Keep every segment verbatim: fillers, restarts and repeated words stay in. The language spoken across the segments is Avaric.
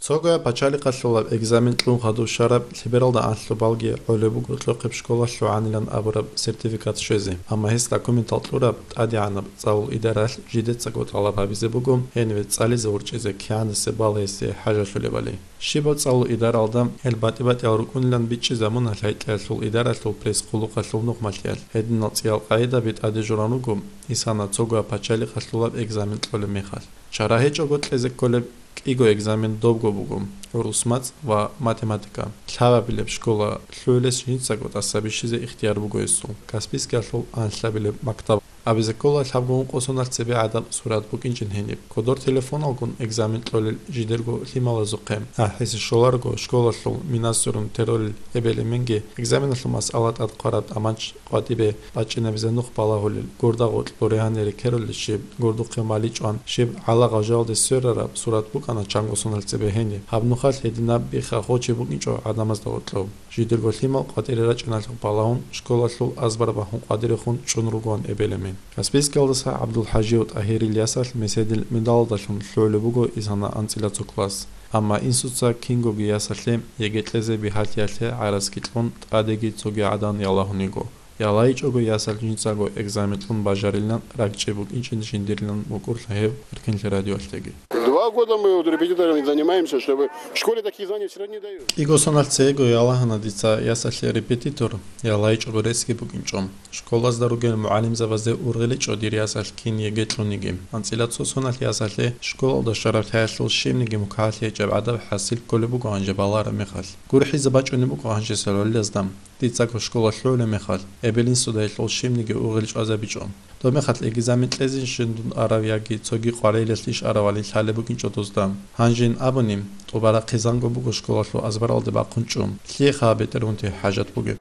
Цогояб пачалихъалъулаб экзамен кьун хадуб щвараб лъебералда анлъубалги гӀолеб буго кьохъеб школалъ лъугӀанилан абураб сертификат щвезе, амма гьес документал кьураб тӀадегӀанаб цӀалул идаралъ жидецаго тӀалаб гьабизе буго гьениве цӀализе ворчӀизе кигӀанасеб балагьисе хӀажалъулебали. Щибаб цӀалул идаралда гьел батӀи-батӀиял рукӀунилан бичӀчӀизабуна лъайтӀиялъул идаралъул пресс-къуллукъалъул нухмалъиялъ. Гьединал цӀиял къагӀидаби тӀаде журан руго ИСАН-а цогояб пачалихъалъулаб экзамен кьолеб мехалъ. Чара гьечӀого кьезе кколеб кӀиго экзамен добго буго: гӀурус мацӀ ва математика. Лъабабилеб школа лъугӀулес жинцаго тӀаса бищизе ихтияр буго гьесул, Каспийскиялъул анлъабилеб мактаб. Абизе ккола лъабго ункъо соналъ цебе гӀадаб сурат букӀинчӀин гьениб. Кодор телефоналгун экзамен кьолел жидерго лъималазухъе. АхӀизе щоларого, школалъул минасурун теролел эбел-эменги экзаменалъул масъала тӀад хъвараб тӀамач къватӀибе бачӀинабизе нух балагьулел, гурда гъоркь буре гьанире ккерулел щиб, гурдухъе маличӀван, щиб гӀалагъав жалде сверараб сурат букӀана чанго соналъ цебе гьениб. Гьаб нухалъ гьединаб биха гъочи букӀинчӀо гӀадамазда гъоркьоб. Жидерго лъимал къватӀире рачӀиналъухъ балагьун, школалъул азбар бахун къватӀирехун чӀун ругоан эбел-эмен. Каспийскиялдаса ГӀабдулхӀажиев ТӀагьирил ясалъ меседил медалалдалъун лъугӀулеб буго ИСАН-а анцӀила цо класс. Амма инсуца кингоги ясалъе ЕГЭ кьезе бигьалъиялъе гӀараскилъун тӀадеги цоги гӀадан ялагьун йиго. ЯлагьичӀого ясалъ жинцаго экзамен кьун бажарилан ракӀчӀей букӀинчӀин жиндирилан мукӀурлъа гьев Эркинлъи радиоялъеги. Два года мы вот репетиторами занимаемся, чтобы в школе такие знания все равно не дают. КӀиго соналъ цего ялагьана дица ясалъе репетитор, ялагьичӀого ресги букӀинчӀо. Школазда ругел мугӀалимзабазе ургъиличӀо дир ясалъ кин ЕГЭ кьуниги. АнцӀила цо соналъ ясалъе школалда щвараб лъаялъул щибниги мукагьалъи гьечӀеб гӀадаб хӀасил кколеб буго гьанже балараб мехалъ. ГурхӀизабачӀунеб буго гьанжесал гӀолилазда. Дицаго школа лъугӀулеб мехалъ, эбел-инсуда гьелъул щибниги ургъел чӀвазабичӀо. Доб мехалъ экзамен кьезейищин дун арав яги цоги къварилъалъе иш аравали лъалеб букӀинчӀо дузда. Гьанжин абуни, тӀубарахъизанго буго школалъул азбаралде бахъун чӀун. Лъиеха гьаб бетӀергьунти хӀажат бугеб?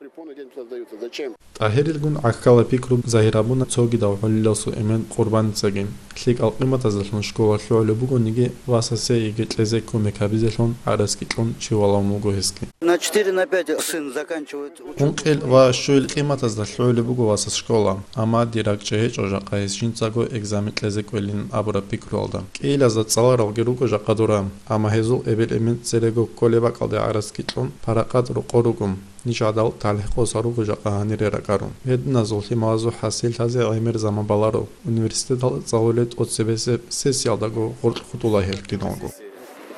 ТӀагьирилгун гӀахьалаб пикру загьир гьабуна цогидав гӀолиласул эмен Къурбаницаги. ЛъикӀал къиматаздалъун школа лъугӀулеб бугониги, васасе ЕГЭ кьезе кумек гьабизелъун гӀараскилъун чи валагьун вуго гьесги. На четыре, на пять сын заканчивает учёбу. Ункъил ва щуил къиматазда лъугӀулеб буго васас школа, амма дир ракӀчӀей гьечӀо жакъа гьес жинцаго экзамен кьезе кӀвелин абураб пикруялда. КӀиилазда цӀаларалги руго жакъа дора, амма гьезул эбел-эмен церего кколеб бакӀалде гӀараскилъун паракъат рокъор руго. Ниж гӀадал талихӀ къосарого жакъа гьанире ракӀарун. Гьединазул лъималазул хӀасиллъазе гӀемер заман баларо. Университеталда цӀалулел тӀоцебесеб сессиялдаго гъоркь хутӀула гьел киналго.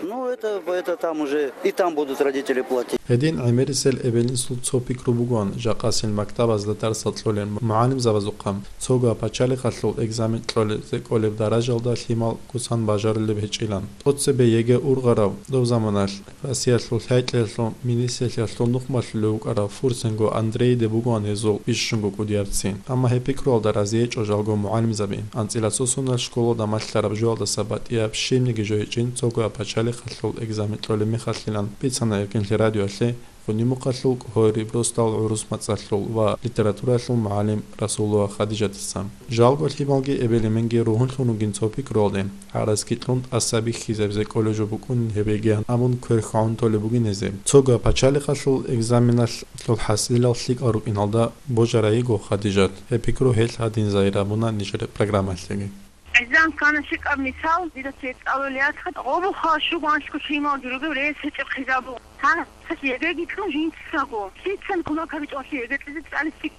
Ну, это, это там уже, и там будут родители платить. Гьедин гӀемерисел эбел-инсул цо пикру бугоан, жакъасил мактабазда дарсал кьолел мугӀалимзабазухъа цого пачалихъалъул экзамен кьолезе кӀолеб даражалда лъимал кусан бажарулеб гьечӀилан. ТӀоцебе ЕГЭ ургъарав доб заманалъ Россиялъул лъайтӀиялъул министрлъиялъул нухмалъулев вукӀарав Фурсенго Андрейиде бугоан гьезул бищунго кӀудиябцин. Амма гьеб пикруялда рази гьечӀо жалго мугӀалимзаби. АнцӀила цо соналъ школалда малъараб жоялдаса батӀияб щибниги жо гьечӀин цого пачалихъалъул экзамен кьолеб мехалъилан бицана Эркинлъи радиоялъе Гъунимухъалъул КӀогьориб росдал гӀурус мацӀалъул ва литературалъул мугӀалим Расулова Хадижатица. Жалго лъималги эбел-эменги ругьунлъун ругин цо пикруялде, гӀараскилъун тӀаса бихьизабизе кӀолеб жо букӀунин гьеб ЕГЭ абун кверхун толеб бугин гьезие. Цого пачалихъалъул экзаменалъул хӀасилал лъикӀал рукӀиналда божарайиго Хадижат. Гьеб пикру гьелъ гьадин загьир гьабуна нижер программалъеги. ГӀезан ккана лъикӀаб мисал, дида цецӀалулеялъха гъобухъа щуго анлъго лъималги ругев рес гьечӀеб хъизабун. Гьанже ЕГЭги кьун жинцаго. Лъицан кумек гьабичӀо гьалъие ЕГЭ кьезе цӀализе лъикӀ.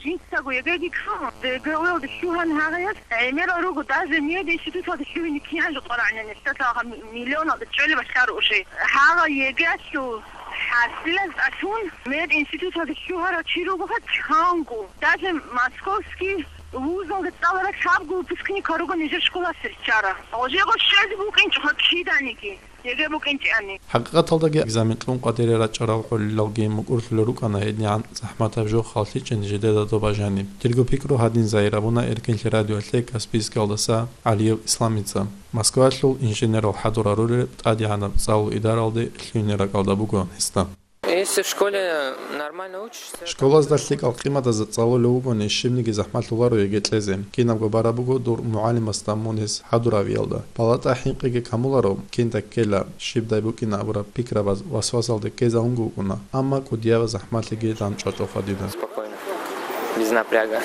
Жинцаго ЕГЭги ккун, ЕГЭ-ялде лъугьан гьагъиялъ гӀемерал руго, даже мединституталде лъугьине кигӀан жо къварагӀнани, лъалаха миллионалда чӀвалеб лъаро уже. Гьагъа ЕГЭ-ялъул хӀасилаз тӀалъун мединституталде лъугьарав чи ругоха чанго. Даже московский вузалда цӀаларал лъабго выпускник руго нижер школалъе риччарал. Гъожего щвезе букӀинчӀоха киданиги. ЕГЭ букӀинчӀони. ХӀакъикъаталдаги экзамен кьун къватӀире рачӀарал гӀолилалги мукӀурлъулел рукӀана гьедигӀан захӀматаб жо халлъичӀин жидеда доба жаниб. Дирго пикру гьадин загьир гьабуна Эркинлъи радиоялъе Каспийскиялдаса ГӀалиев Исламица. Москваялъул инженерал хӀадур гьарулел тӀадегӀанаб цӀалул идаралде лъугьине ракӀалда буго гьесда. Если в школе нормально учишься, Школазда лъикӀал къиматазда цӀалулев вугони, щибниги захӀмалъуларо ЕГЭ кьезе. Кинабго бараб буго дур мугӀалимасда мун гьес хӀадуравиялда. Палата хӀинкъиги камуларо, кинда ккела, щибдай букӀина абураб пикрабаз васвасалде ккезавунго вукӀуна, амма кӀудияб захӀмалъиги дандчӀвачӀоха дида. Спокойно, без напряга.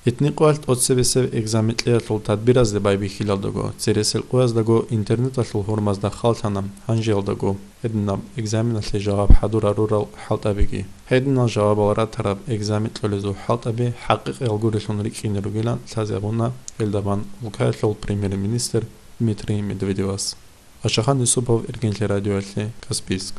Гьитни къоялъ тӀоцебесеб экзамен кьеялъул тадбиразде байбихьилалдаго, цересел къояздаго интернеталъул гьурмазда халлъана гьанжеялдаго гьединаб экзаменалъе жаваб хӀадурарурал хӀалтӀабиги. Гьединал жавабал ратараб экзамен кьолезул хӀалтӀаби хӀакъикъиялгурелъун рикӀкӀине ругилан лъазе гьабуна гьелдабан улкаялъул премьер-министр Дмитрий Медведевас. Ашахан Юсупов, Иргенлъи радиоялъе, Каспийск.